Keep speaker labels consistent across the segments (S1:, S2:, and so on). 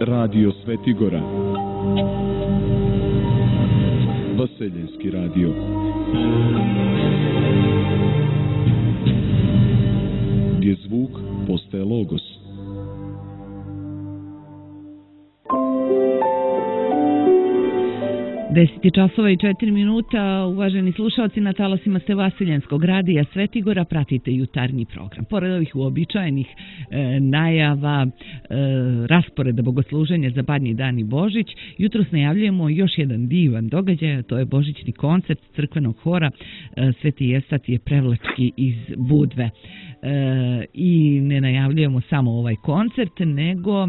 S1: Radio Svetigora, Vaseljenski radio. Gdje zvuk postaje logos.
S2: časova i 4 minuta, uvaženi slušalci, na talasima ste Vaseljenskog radija Svetigora, pratite jutarnji program. Pored ovih uobičajenih najava, rasporeda bogosluženja za Badnji dan i Božić, jutros najavljujemo još jedan divan događaj, to je božićni koncert crkvenog hora Sveti Evstatije Prevlački iz Budve. I ne najavljujemo samo ovaj koncert, nego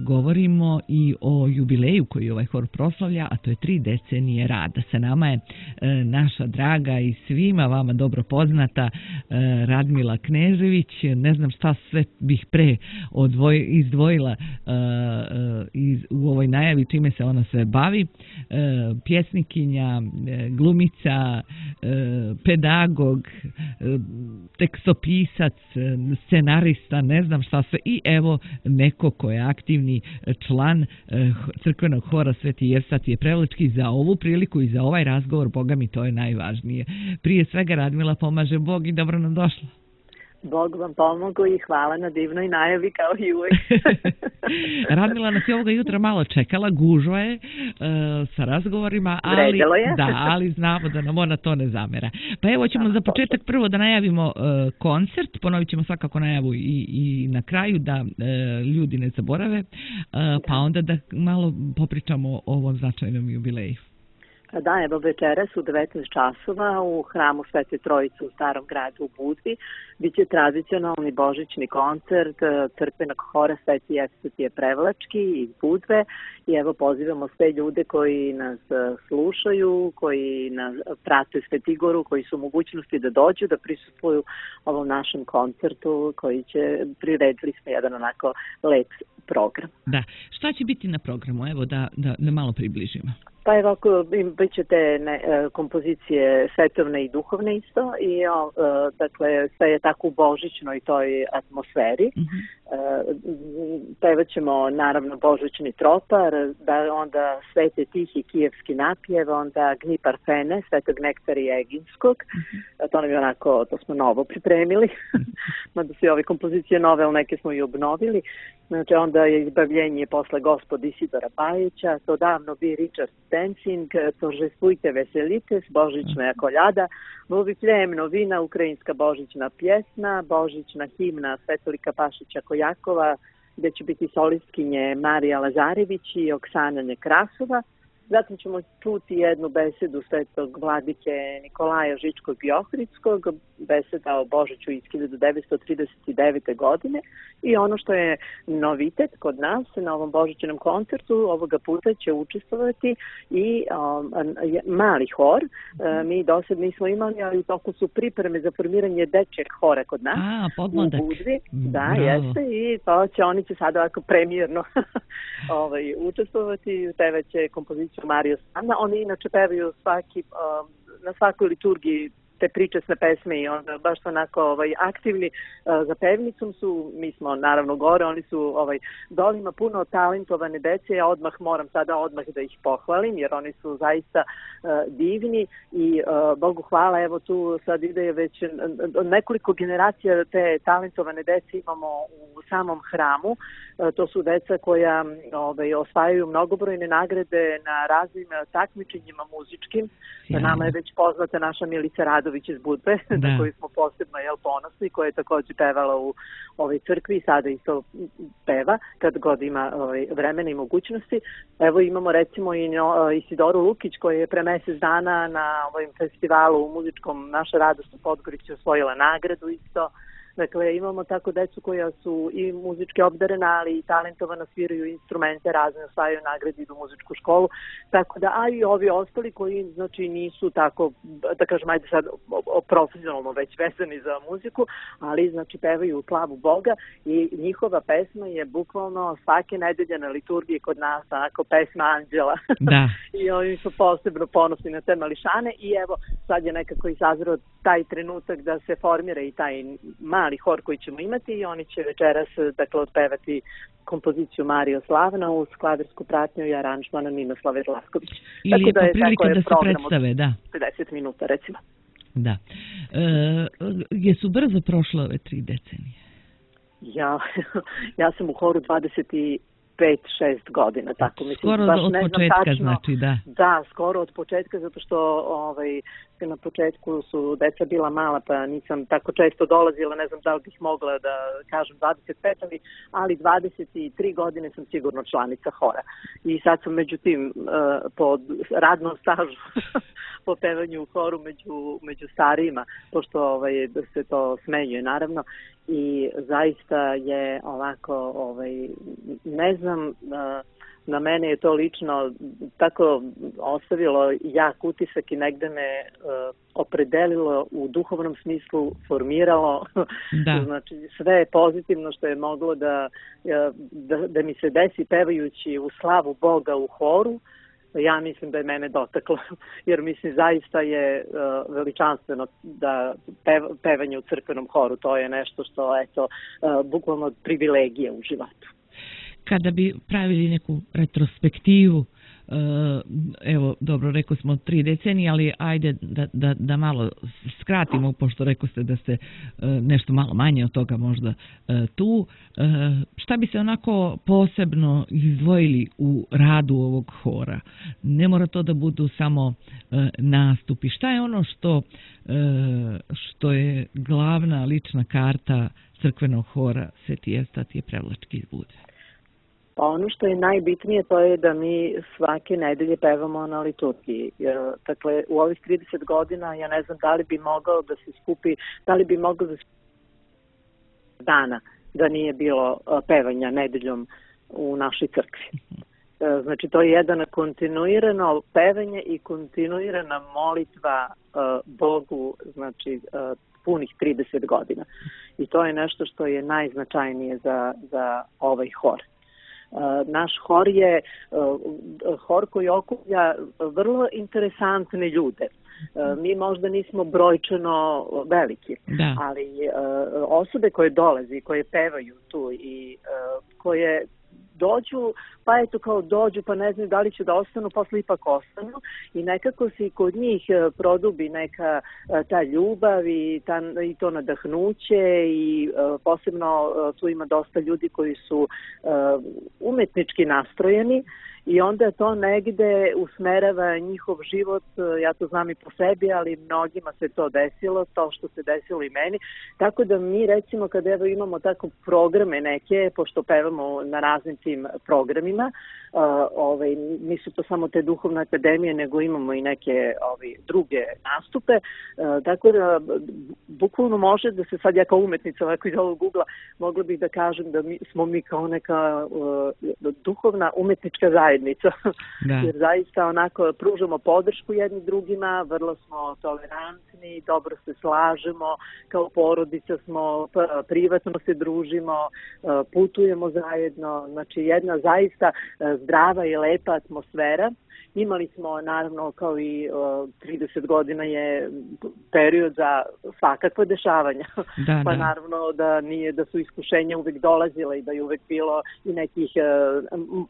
S2: govorimo i o jubileju koji ovaj hor proslavlja, a to je 3 decenije rada. Sa nama je naša draga i svima vama dobro poznata Radmila Knežević. Ne znam šta sve bih pre izdvojila u ovoj najavi, čime se ona sve bavi. Pjesnikinja, glumica, pedagog, tekstopisac, scenarista, ne znam šta sve, i evo neko ko je aktivni član crkvenog hora Sveti Evstatije Prevlački. Za ovu priliku i za ovaj razgovor, Boga mi, to je najvažnije. Prije svega, Radmila, pomaže Bog i dobro nam došla.
S3: Bog vam pomogu i hvala na divnoj najavi kao i uvek.
S2: Radmila nas je ovoga jutra malo čekala, gužva je sa razgovorima, ali znamo da nam ona to ne zamera. Pa evo ćemo za početak prvo da najavimo koncert, ponovit ćemo svakako najavu i na kraju da ljudi ne zaborave, pa onda da malo popričamo o ovom značajnom jubileju.
S3: Da, evo večeras u 19 časova u hramu Svete Trojice u Starom gradu u Budvi biće tradicionalni božićni koncert crkvenog hora Sveti Evstatije Prevlački iz Budve i evo pozivamo sve ljude koji nas slušaju, koji nas prate Svetigoru, koji su u mogućnosti da dođu, da prisustvuju ovom našem koncertu koji će, priredili smo jedan onako lep program.
S2: Da, šta će biti na programu? Evo da malo približimo.
S3: Pa evo, bit će te kompozicije svetovne i duhovne isto i dakle sve je tako u božićnoj toj atmosferi. Pevat ćemo naravno božićni tropar, da onda Svete Tihi kijevski napjev, onda Gni Parfene, Svetog Nektarija Eginskog. To nam je onako, to smo novo pripremili, mada su ove kompozicije nove, ali neke smo i obnovili. Znači onda je Izbavljenje posle Gospod Isidora Bajića, To davno bi Richard Dancing, Торжествуйте, veselite, božićna koljada, Vovifljem novina, ukrajinska božićna pjesma, božićna himna Svetolika Pašića Kojakova, gdje će biti solistkinje Marija Lazarević i Oksana Nekrasova. Zatim ćemo čuti jednu besedu Svetog vladike Nikolaja Žičkog i Ohridskog, beseda o Božiću iz 1939. godine. I ono što je novitet kod nas na ovom božićnom koncertu, ovoga puta će učestvovati i mali hor. Mi do sad nismo imali, ali u toku su pripreme za formiranje dečjeg hora kod nas u Budvi. Da, jeste, i to će, oni će sada ovako premijerno učestvovati, pevaće kompoziciju Mario Sanna. Oni inače pevaju na svakoj liturgiji te pričesne pesme i onda baš onako aktivni za pevnicom su. Mi smo naravno gore, oni su dole, ima puno talentovane dece. Ja moram sada da ih pohvalim jer oni su zaista divni i Bogu hvala, evo tu sad ide već nekoliko generacija te talentovane dece imamo u samom hramu. To su deca koja osvajaju mnogobrojne nagrade na raznim takmičenjima muzičkim. Nama je već poznata naša Milica Radović iz Budve, na koju smo posebno ponosni, koja je također pevala u ovoj crkvi i sada isto peva kad god ima vremena i mogućnosti. Evo imamo recimo i Isidoru Lukić koja je pre mjesec dana na ovom festivalu muzičkom Naša radost u Podgorici osvojila nagradu isto. Dakle, imamo tako decu koja su i muzički obdarena, ali i talentovana, sviraju instrumente, razne osvajaju nagrade, idu u muzičku školu. Tako da, a i ovi ostali koji, znači, nisu tako, da kažem, ajde sad profesionalno već vezani za muziku, ali, znači, pevaju u slavu Boga i njihova pesma je bukvalno svake nedelje na liturgiji kod nas, onako, pesma anđela. Da. I oni su posebno ponosni na te mališane i evo, sad je nekako izazreo taj trenutak da se formira i taj mali mali hor koji ćemo imati i oni će večeras dakle otpevati kompoziciju Mario Slavna uz klavirsku pratnju i aranžmana Ninoslave Zlasković.
S2: Ili tako je prilika da se predstave, da.
S3: 50 minuta recimo.
S2: Da. Jesu brzo prošle ove 3 decenije?
S3: Ja sam u horu 25-6 godina, tako mislim.
S2: Skoro
S3: baš
S2: od
S3: ne znam
S2: početka,
S3: tačno,
S2: znači, da.
S3: Da, skoro od početka, zato što na početku su deca bila mala, pa nisam tako često dolazila, ne znam da li bih mogla da kažem 25, ali 23 godine sam sigurno članica hora. I sad sam međutim po radnom stažu po pevanju u horu među starijima, pošto da se to smenjuje naravno. I zaista je ovako, ne znam, na mene je to lično tako ostavilo jak utisak i negde me opredelilo u duhovnom smislu, formiralo.
S2: Da.
S3: Znači sve je pozitivno što je moglo da mi se desi pevajući u slavu Boga u horu. Ja mislim da je mene dotaklo, jer mislim zaista je veličanstveno da pevanje u crkvenom horu, to je nešto što eto bukvalno privilegija u životu.
S2: Kada bi pravili neku retrospektivu, evo, dobro, rekao smo 3 decenije, ali ajde da malo skratimo, pošto rekao ste da ste nešto malo manje od toga možda tu. Šta bi se onako posebno izdvojili u radu ovog hora? Ne mora to da budu samo nastupi. Šta je ono što je glavna lična karta crkvenog hora Sveti Evstatije Prevlački iz Budve?
S3: Pa ono što je najbitnije to je da mi svake nedelje pevamo na liturgiji. Dakle, u ovih 30 godina ja ne znam da li bi mogao da se skupi, dana da nije bilo pevanja nedeljom u našoj crkvi. Znači, to je jedan kontinuirano pevanje i kontinuirana molitva Bogu, znači punih 30 godina. I to je nešto što je najznačajnije za ovaj hor. Naš hor je hor koji okuplja vrlo interesantne ljude. Mi možda nismo brojčano veliki, ali osobe koje dolaze, koje pevaju tu i koje dođu, pa eto kao dođu, pa ne znaju da li će da ostanu, posle ipak ostanu i nekako se i kod njih produbi neka ta ljubav i to nadahnuće i posebno tu ima dosta ljudi koji su umetnički nastrojeni i onda to negde usmerava njihov život, ja to znam i po sebi, ali mnogima se to desilo, to što se desilo i meni. Tako da mi recimo kada evo imamo tako programe neke, pošto pevamo na raznim tim programima, nisu to samo te duhovne akademije, nego imamo i neke druge nastupe, tako da bukvalno može da se sad ja kao umetnica ovako iz ovog ugla mogla bih da kažem da smo mi kao neka duhovna umetnička zajednica. Jer zaista onako pružamo podršku jednim drugima, vrlo smo tolerantni, dobro se slažemo, kao porodica smo, privatno se družimo, putujemo zajedno, znači jedna zaista zdrava i lepa atmosfera. Imali smo, naravno, kao i 30 godina je period za svakakve dešavanja. Pa naravno da su iskušenja uvek dolazila i da je uvek bilo i nekih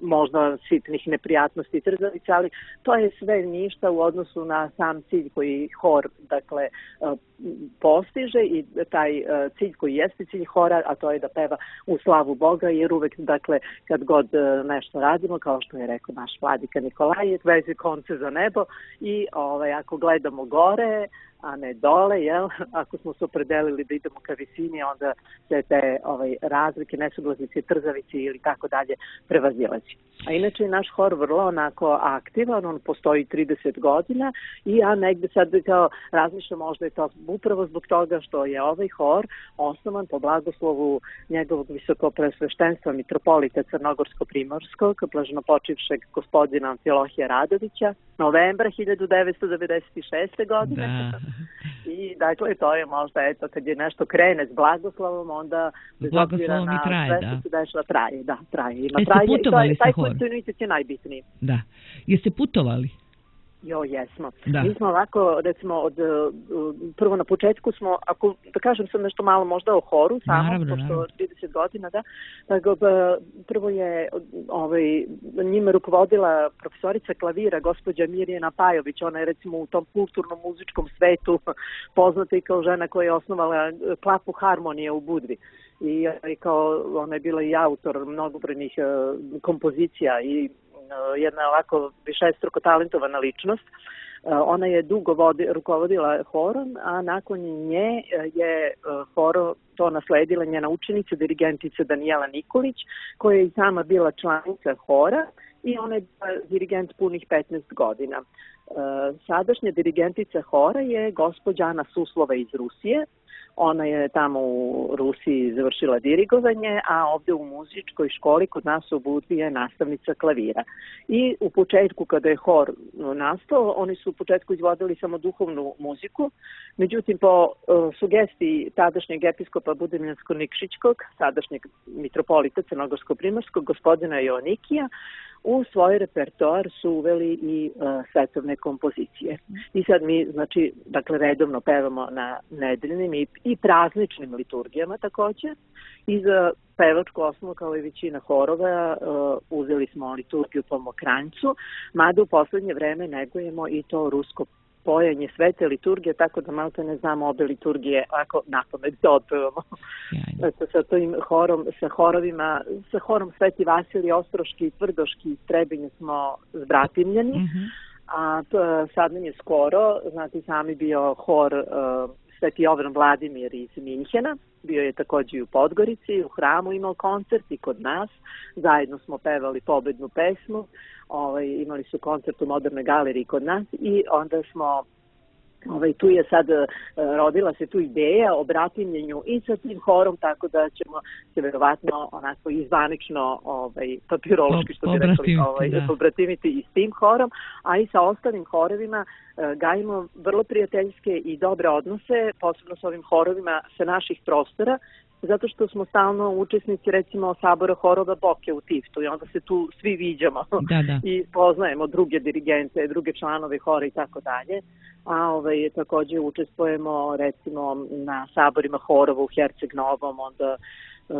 S3: možda sitnih neprijatnosti i trzavica, ali to je sve ništa u odnosu na sam cilj koji hor, dakle, postiže i taj cilj koji jeste cilj hora, a to je da peva u slavu Boga, jer uvek, dakle, kad god nešto radimo, kao što je rekao naš vladika Nikolaj, vezi konce za nebo i ako gledamo gore, a ne dole, jel? Ako smo se opredelili da idemo ka visini, onda se te razlike, nesuglasice, trzavice ili tako dalje prevazilazi. A inače je naš hor vrlo onako aktivan, on postoji 30 godina i ja negde sad kao razmišljam, možda je to upravo zbog toga što je ovaj hor osnovan po blagoslovu njegovog visokopreosveštenstva mitropolita Crnogorsko-Primorskog, blaženopočivšeg gospodina Amfilohija Radovića, novembra 1996. godine. Da. I dakle, to je možda, eto, kad je nešto krene s blagoslovom, onda bez obzira na sve što se dešava, traje.
S2: Jeste putovali sa horom?
S3: Taj kontinuitet je najbitniji.
S2: Da. Jeste putovali?
S3: Jesmo.
S2: Da.
S3: Mi smo ovako, recimo, prvo na početku smo, ako da kažem sad nešto malo možda o horu, samo, pošto 30 godina, da, tako, prvo je njima rukovodila profesorica klavira, gospođa Mirjana Pajović, ona je recimo u tom kulturnom muzičkom svetu poznata i kao žena koja je osnovala klapu Harmonije u Budvi. I kao ona je bila i autor mnogobrojnih kompozicija i jedna ovako višestruko talentovana ličnost. Ona je dugo rukovodila horom, a nakon nje je horo to nasledila njena učenica, dirigentica Danijela Nikolić, koja je i sama bila članica hora i ona je dirigent punih 15 godina. Sadašnja dirigentica hora je gospođa Ana Suslova iz Rusije. Ona je tamo u Rusiji završila dirigovanje, a ovde u muzičkoj školi kod nas u Budvi je nastavnica klavira. I u početku kada je hor nastao, oni su u početku izvodili samo duhovnu muziku, međutim po sugestiji tadašnjeg episkopa Budimljansko-Nikšićkog, sadašnjeg mitropolita Crnogorsko-Primorskog, gospodina Joanikija, u svoj repertoar su uveli i svetovne kompozicije. I sad mi, znači, dakle, redovno pevamo na nedeljnim i prazničnim liturgijama takođe. I za pevačku osnovu, kao i većina horova, uzeli smo liturgiju po Mokranjcu, mada u poslednje vreme negujemo i to rusko pojenje svete liturgije, tako da malo ne znamo obe liturgije ako napamet da otpevamo. Sa tim horom, sa horom Sveti Vasilij Ostroški i Tvrdoški iz Trebinja smo zbratimljeni, a sad nam je skoro, znate, sami bio hor Sveti Jovan Vladimir iz Minhena, bio je takođe i u Podgorici, u hramu imao koncert i kod nas, zajedno smo pevali pobednu pesmu, imali su koncert u Modernoj galeriji kod nas i onda smo, tu je sad rodila se tu ideja o bratimljenju i sa tim horom, tako da ćemo se verovatno onako izvanično papirološki, što bi rekli, pobratimiti i s tim horom, a i sa ostalim horovima gajimo vrlo prijateljske i dobre odnose, posebno s ovim horovima sa naših prostora, zato što smo stalno učesnici, recimo, Sabora horova Boke u Tiftu i onda se tu svi viđamo i poznajemo druge dirigente, druge članove hora i tako dalje. A takođe učestvujemo, recimo, na saborima horova u Herceg Novom, onda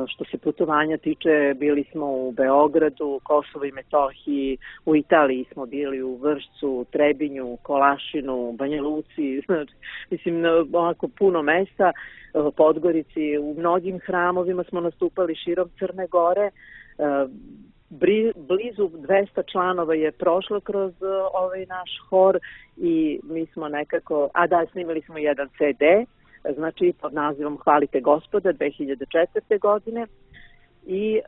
S3: što se putovanja tiče, bili smo u Beogradu, Kosovo i Metohiji, u Italiji smo bili u Vršcu, Trebinju, Kolašinu, Banja Luci, mislim, onako puno mesta, Podgorici, u mnogim hramovima smo nastupali širom Crne Gore, blizu 200 članova je prošlo kroz ovaj naš hor i mi smo nekako, snimali smo jedan CD, znači pod nazivom Hvalite Gospoda 2004. godine i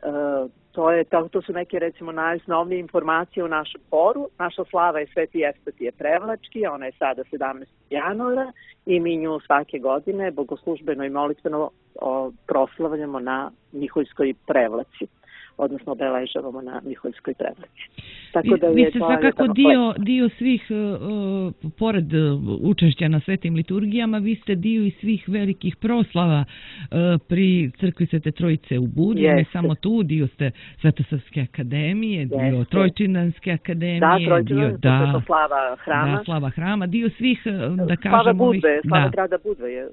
S3: to su neke, recimo, najosnovnije informacije o našem horu. Naša slava je Sveti Evstatije Prevlački, ona je sada 17. januara i mi nju svake godine bogoslužbeno i molitveno proslavljamo na Miholjskoj Prevlaci, odnosno obeležavamo na Miholjskoj Prevlaci.
S2: Tako da vi ste svakako dio svih, pored učešća na svetim liturgijama, vi ste dio i svih velikih proslava pri crkvi Svete Trojice u Budvi, ne samo tu, dio ste Svetosavske akademije, dio Trojčindanske akademije, dio
S3: slava hrama.
S2: Da, slava hrama, dio svih, da kažemo,
S3: slava grada Budve je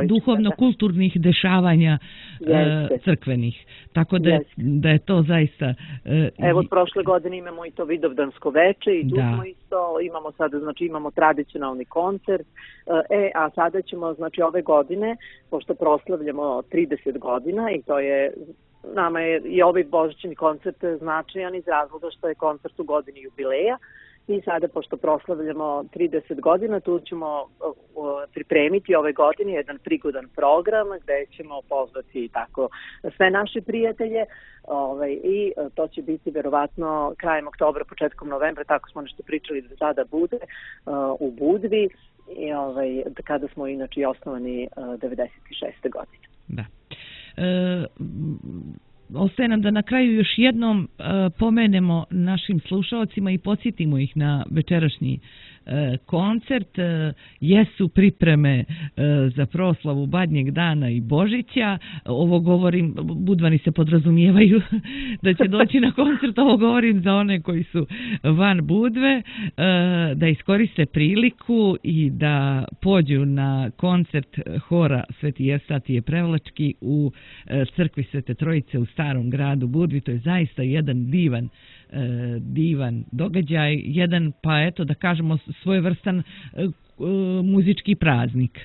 S2: duhovno-kulturnih dešavanja crkvenih. Tako da je to zaista...
S3: Evo, od prošle godine imamo i to Vidovdansko veče i tu smo isto, imamo sada, znači imamo tradicionalni koncert, a sada ćemo, znači ove godine, pošto proslavljamo 30 godina i to je, nama je i ovaj božićni koncert značajan iz razloga što je koncert u godini jubileja. I sada, pošto proslavljamo 30 godina, tu ćemo pripremiti ove godine jedan prigodan program gde ćemo pozvati tako sve naše prijatelje i to će biti verovatno krajem oktobra, početkom novembra, tako smo nešto pričali da sada bude u Budvi, kada smo inače osnovani 96. godine.
S2: Da. Ostaje nam da na kraju još jednom pomenemo našim slušalcima i podsjetimo ih na večerašnji koncert, jesu pripreme za proslavu Badnjeg dana i Božića. Ovo govorim, Budvani se podrazumijevaju da će doći na koncert, ovo govorim za one koji su van Budve, da iskoriste priliku i da pođu na koncert hora Sveti Jersatije Prevlački u crkvi Svete Trojice u Starom gradu Budvi. To je zaista jedan divan događaj, jedan, pa eto da kažemo, svojevrstan muzički praznik.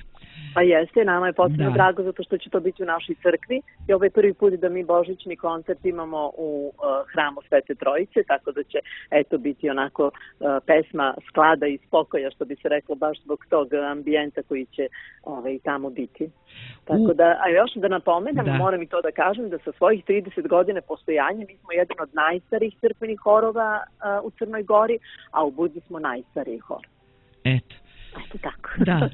S3: Pa jeste, nama je posebno drago zato što će to biti u našoj crkvi i ovo je prvi put da mi božićni koncert imamo u hramu Svete Trojice, tako da će eto biti onako pesma sklada i spokoja, što bi se reklo, baš zbog tog ambijenta koji će tamo biti. Tako da, a još da napomenem, moram i to da kažem, da sa svojih 30 godina postojanja mi smo jedan od najstarijih crkvenih horova u Crnoj Gori, a u Budvi smo najstariji hor.
S2: Eto.
S3: Tako.
S2: Da,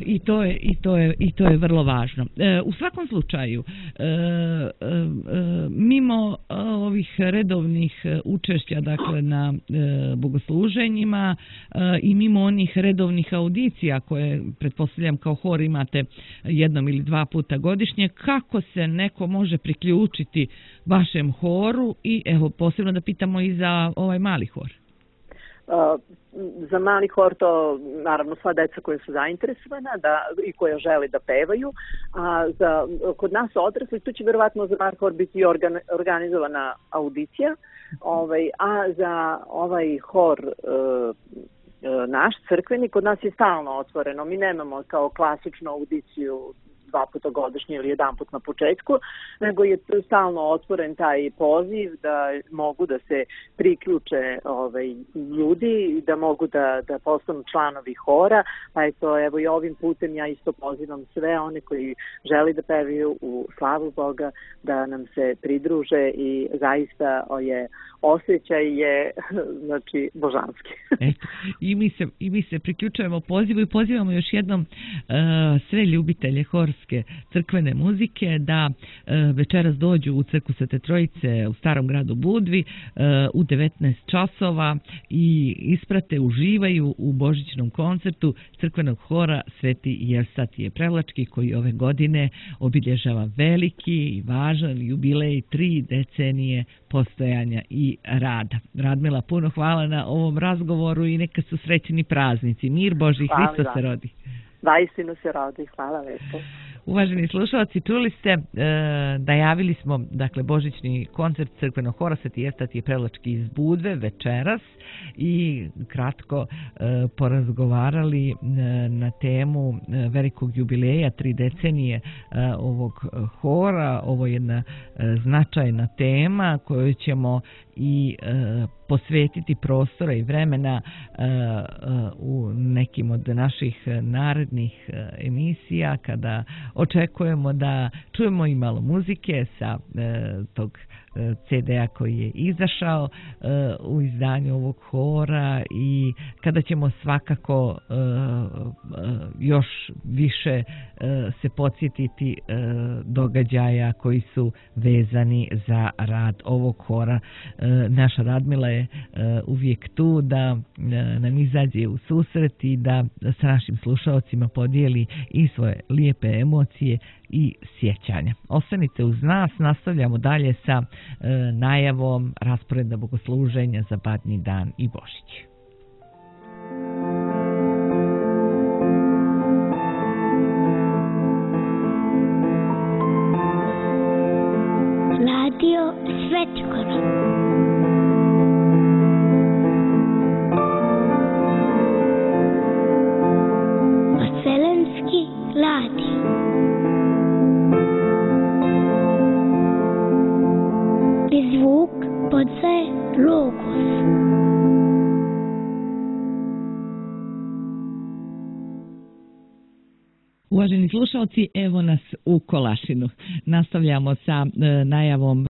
S2: i to je vrlo važno. U svakom slučaju, mimo ovih redovnih učešća, dakle, na bogosluženjima i mimo onih redovnih audicija koje, pretpostavljam, kao hor imate jednom ili dva puta godišnje, kako se neko može priključiti vašem horu i, evo, posebno da pitamo i za ovaj mali hor?
S3: Za mali hor to naravno sva deca koja su zainteresovana i koja žele da pevaju, a kod nas odrasli tu će verovatno za mali hor biti organizovana audicija, a za ovaj hor naš crkveni kod nas je stalno otvoreno. Mi nemamo kao klasičnu audiciju 2 puta godišnje ili 1 put na početku, nego je stalno otvoren taj poziv da mogu da se priključe ljudi, da mogu da postanu članovi hora, pa evo i ovim putem ja isto pozivam sve one koji žele da pevaju u slavu Boga da nam se pridruže i zaista osjećaj je znači božanski.
S2: I mi se priključujemo pozivu i pozivamo još jednom sve ljubitelje horske crkvene muzike da večeras dođu u crkvu Svete Trojice u Starom gradu Budvi u 19 časova i isprate, uživaju u božićnom koncertu crkvenog hora Sveti Jersatije Prevlački, koji ove godine obilježava veliki i važan jubilej 3 decenije postojanja i rada. Radmila, puno hvala na ovom razgovoru i neka su srećni praznici. Mir Božji, Hristos se rodi.
S3: Vaistinu se rodi, hvala lepo.
S2: Uvaženi slušalci, čuli ste, najavili smo, dakle, božićni koncert crkvenog hora Sveti Jersatije Prevlački iz Budve večeras i kratko porazgovarali na temu velikog jubileja 3 decenije ovog hora. Ovo je jedna značajna tema koju ćemo i posvetiti prostora i vremena u nekim od naših narednih emisija, kada očekujemo da čujemo i malo muzike sa tog CD-a koji je izašao u izdanju ovog hora i kada ćemo svakako još više se podsjetiti događaja koji su vezani za rad ovog hora. Naša Radmila je uvijek tu da nam izađe u susret i da sa našim slušalcima podijeli i svoje lijepe emocije i sjećanja. Ostanite uz nas, nastavljamo dalje sa najavom rasporeda bogosluženja za Badnji dan i Božić.
S4: Radio Svetogora. Vaselenski radio. I zvuk podaje Logos.
S2: Uvaženi slušalci, evo nas u Kolašinu. Nastavljamo sa najavom